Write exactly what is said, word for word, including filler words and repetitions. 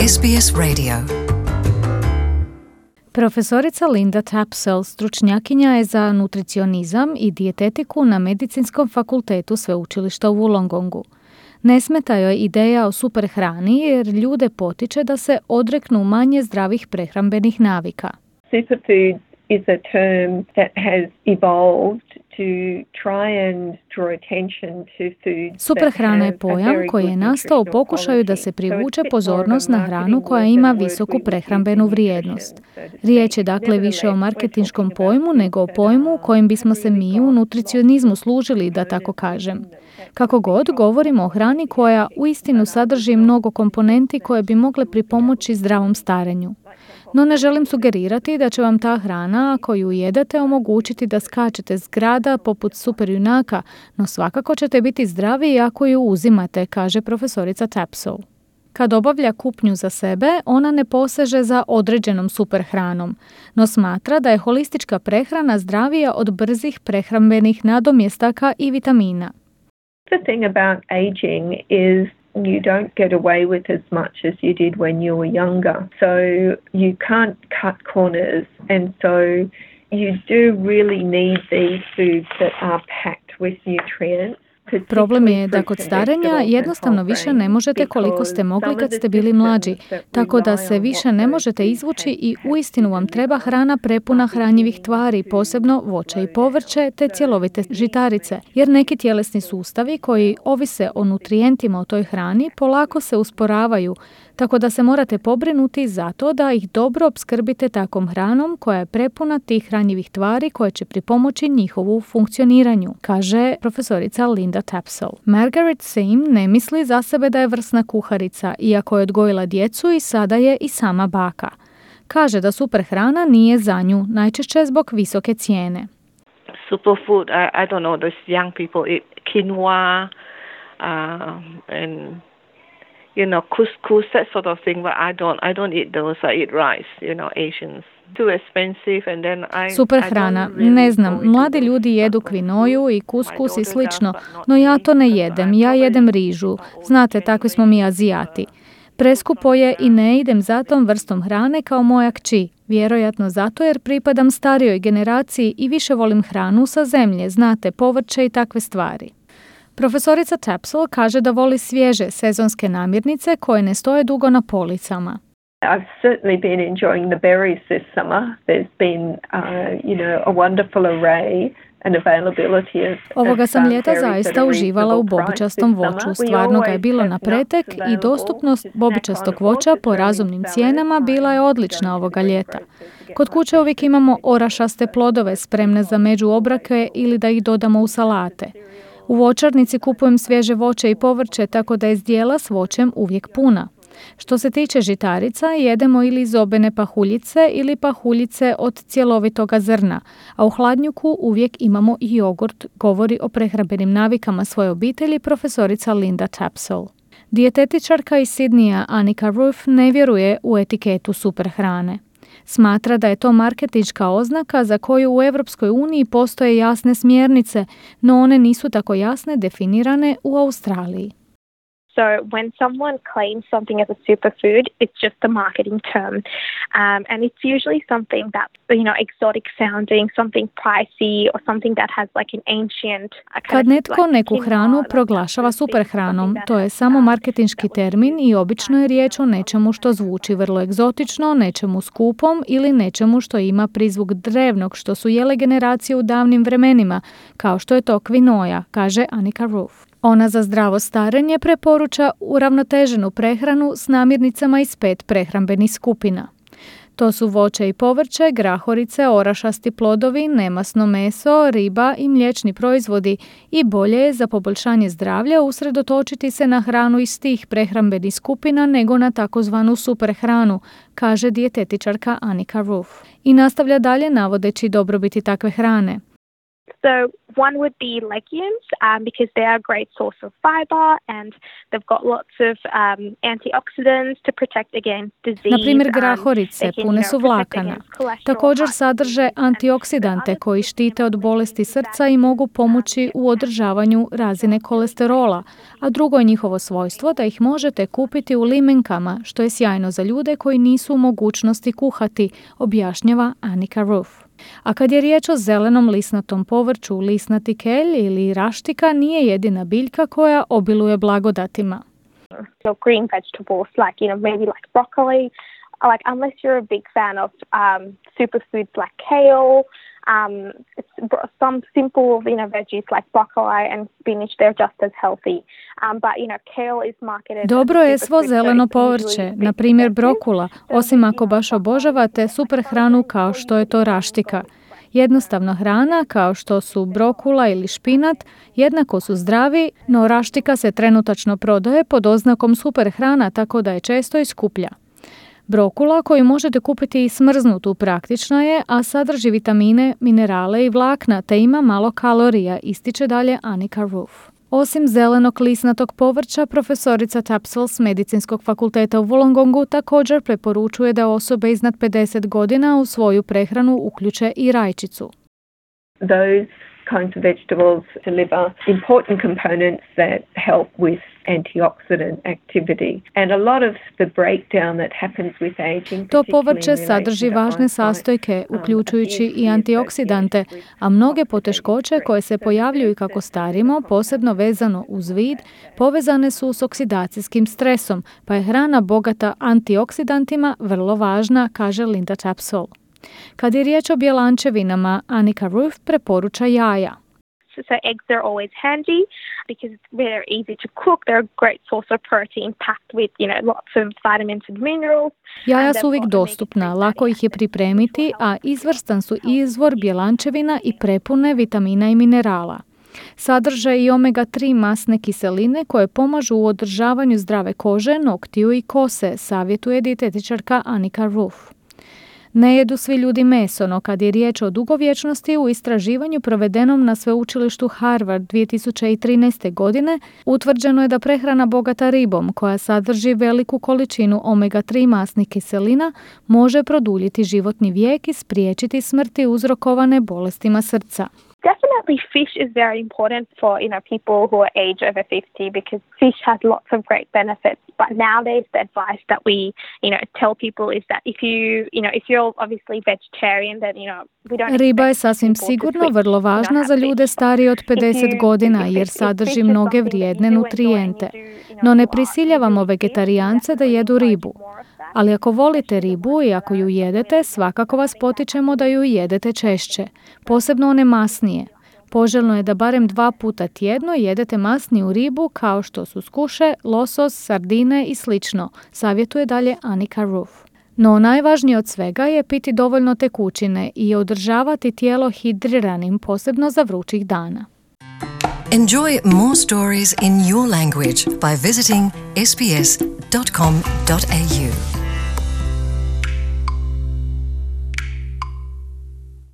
S B S Radio. Profesorica Linda Tapsell stručnjakinja je za nutricionizam i dijetetiku na Medicinskom fakultetu sveučilišta u Wollongongu. Ne smeta joj ideja o superhrani jer ljude potiče da se odreknu manje zdravih prehrambenih navika. Superfood is a term that has evolved to try and draw attention to foods. Superhrana je pojam koji je nastao u pokušaju da se privuče pozornost na hranu koja ima visoku prehrambenu vrijednost. Riječ je dakle više o marketinškom pojmu nego o pojmu kojim bismo se mi u nutricionizmu služili, da tako kažem. Kako god, govorimo o hrani koja uistinu sadrži mnogo komponenti koje bi mogle pripomoći zdravom starenju. No ne želim sugerirati da će vam ta hrana, ako ju jedete, omogućiti da skačete s grada poput superjunaka, no svakako ćete biti zdravi ako ju uzimate, kaže profesorica Tapsell. Kad obavlja kupnju za sebe, ona ne poseže za određenom superhranom, no smatra da je holistička prehrana zdravija od brzih prehrambenih nadomjestaka i vitamina. The thing about aging is you don't get away with as much as you did when you were younger. So you can't cut corners, and so you do really need these foods that are packed with nutrients. Problem je da kod starenja jednostavno više ne možete koliko ste mogli kad ste bili mlađi, tako da se više ne možete izvući i uistinu vam treba hrana prepuna hranjivih tvari, posebno voće i povrće te cjelovite žitarice, jer neki tjelesni sustavi koji ovise o nutrijentima u toj hrani polako se usporavaju, tako da se morate pobrinuti za to da ih dobro opskrbite takvom hranom koja je prepuna tih hranjivih tvari koje će pripomoći njihovu funkcioniranju, kaže profesorica Linda Tapsell. Margaret Sim ne misli za sebe da je vrsna kuharica, iako je odgojila djecu i sada je i sama baka. Kaže da superhrana nije za nju, najčešće zbog visoke cijene. Superfood, I, I don't know, those young people eat quinoa uh, and you know, couscous, that sort of thing, but I don't, I don't eat those, I eat rice, you know, Asians. Too expensive and then I, Super hrana, really ne znam, mladi ljudi jedu kvinoju i kuskus i slično, no ja to ne jedem, ja jedem rižu, znate, takvi smo mi Azijati. Preskupo je i ne idem za tom vrstom hrane kao moja kći, vjerojatno zato jer pripadam starijoj generaciji i više volim hranu sa zemlje, znate, povrće i takve stvari. Profesorica Tapsell kaže da voli svježe sezonske namirnice koje ne stoje dugo na policama. I've certainly been enjoying the berries this summer. There's been, uh, you know, a wonderful array and availability of Ovoga sam ljeta zaista uživala u bobičastom voću. Stvarno ga je bilo na pretek i dostupnost bobičastog voća po razumnim cijenama bila je odlična ovoga ljeta. Kod kuće uvijek imamo orašaste plodove spremne za međuobrake ili da ih dodamo u salate. U voćarnici kupujem svježe voće i povrće, tako da je zdjela s voćem uvijek puna. Što se tiče žitarica, jedemo ili zobene pahuljice ili pahuljice od cjelovitoga zrna, a u hladnjuku uvijek imamo i jogurt, govori o prehrambenim navikama svoje obitelji profesorica Linda Tapsell. Dijetetičarka iz Sidneya Anika Ruff ne vjeruje u etiketu superhrane. Smatra da je to marketinška oznaka za koju u Europskoj uniji postoje jasne smjernice, no one nisu tako jasne definirane u Australiji. So when someone claims something as a superfood, it's just a marketing term. Um, and it's usually something that's, you know, exotic sounding, something pricey or something that has like an ancient... Kad netko neku hranu proglašava superhranom, to je samo marketinški termin i obično je riječ o nečemu što zvuči vrlo egzotično, nečemu skupom ili nečemu što ima prizvuk drevnog što su jele generacije u davnim vremenima, kao što je to kvinoja, kaže Anika Ruff. Ona za zdravo starenje preporuča uravnoteženu prehranu s namirnicama iz pet prehrambenih skupina. To su voće i povrće, grahorice, orašasti plodovi, nemasno meso, riba i mliječni proizvodi i bolje je za poboljšanje zdravlja usredotočiti se na hranu iz tih prehrambenih skupina nego na takozvanu superhranu, kaže dijetetičarka Anika Ruff. I nastavlja dalje navodeći dobrobiti takve hrane. So one would be legumes um, because they are a great source of fiber and they've got lots of um, antioxidants to protect against disease. Na primjer, grahorice pune su vlakana. Također sadrže antioksidante koji štite od bolesti srca i mogu pomoći u održavanju razine kolesterola, a drugo je njihovo svojstvo da ih možete kupiti u limenkama, što je sjajno za ljude koji nisu u mogućnosti kuhati, objašnjava Annika Roof. A kad je riječ o zelenom lisnatom povrću, lisnati kelj ili raštika nije jedina biljka koja obiluje blagodatima. So green vegetables like, you know, maybe like broccoli, like unless you're a big fan of um, superfoods like kale, um, it's some simple, you know, veggies like broccoli and spinach, they're just as healthy. Um, but, you know, kale is marketed... Dobro je svo zeleno povrće, na primjer brokula, osim ako baš obožavate super hranu kao što je to raštika. Jednostavna hrana, kao što su brokula ili špinat, jednako su zdravi, no raštika se trenutačno prodaje pod oznakom super hrana, tako da je često i skuplja. Brokula, koju možete kupiti i smrznutu, praktična je, a sadrži vitamine, minerale i vlakna, te ima malo kalorija, ističe dalje Annika Roof. Osim zelenog lisnatog povrća, profesorica Tapsell s Medicinskog fakulteta u Wollongongu također preporučuje da osobe iznad pedeset godina u svoju prehranu uključe i rajčicu. Those kinds of vegetables deliver important components that help with antioxidant activity. And a lot of the breakdown that happens with aging. To povrće sadrži važne sastojke, uključujući i antioksidante, a mnoge poteškoće koje se pojavljuju kako starimo, posebno vezano uz vid, povezane su s oksidacijskim stresom, pa je hrana bogata antioksidantima vrlo važna, kaže Linda Tapsell. Kad je riječ o bjelančevinama, Annika Roof preporuča jaja. So eggs are always handy because it's very easy to cook. They're a great source of protein packed with, you know, lots of vitamins and minerals. Jaja su uvijek dostupna, lako ih je pripremiti, a izvrstan su izvor bjelančevina i prepune vitamina i minerala. Sadrže i omega tri masne kiseline koje pomažu u održavanju zdrave kože, noktiju i kose, savjetuje dijetetičarka Annika Roof. Ne jedu svi ljudi meso, no kad je riječ o dugovječnosti, u istraživanju provedenom na sveučilištu Harvard dvije tisuće trinaeste. godine utvrđeno je da prehrana bogata ribom, koja sadrži veliku količinu omega tri masnih kiselina, može produljiti životni vijek i spriječiti smrti uzrokovane bolestima srca. Definitely fish is very important for, you know, people who are age over fifty because fish has lots of great benefits. But nowadays the advice that we, you know, tell people is that if you, you know, if you're obviously vegetarian, then, you know, we don't... Riba je sasvim sigurno vrlo važna za ljude starije od pedeset godina jer sadrži mnoge vrijedne nutrijente. No ne prisiljavamo vegetarijance da jedu ribu. Ali ako volite ribu i ako ju jedete, svakako vas potičemo da ju jedete češće, posebno one masnije. Poželjno je da barem dva puta tjedno jedete masniju ribu kao što su skuše, losos, sardine i slično, savjetuje dalje Annika Roof. No najvažnije od svega je piti dovoljno tekućine i održavati tijelo hidriranim, posebno za vrućih dana. Enjoy more stories in your language by visiting s b s dot com dot a u.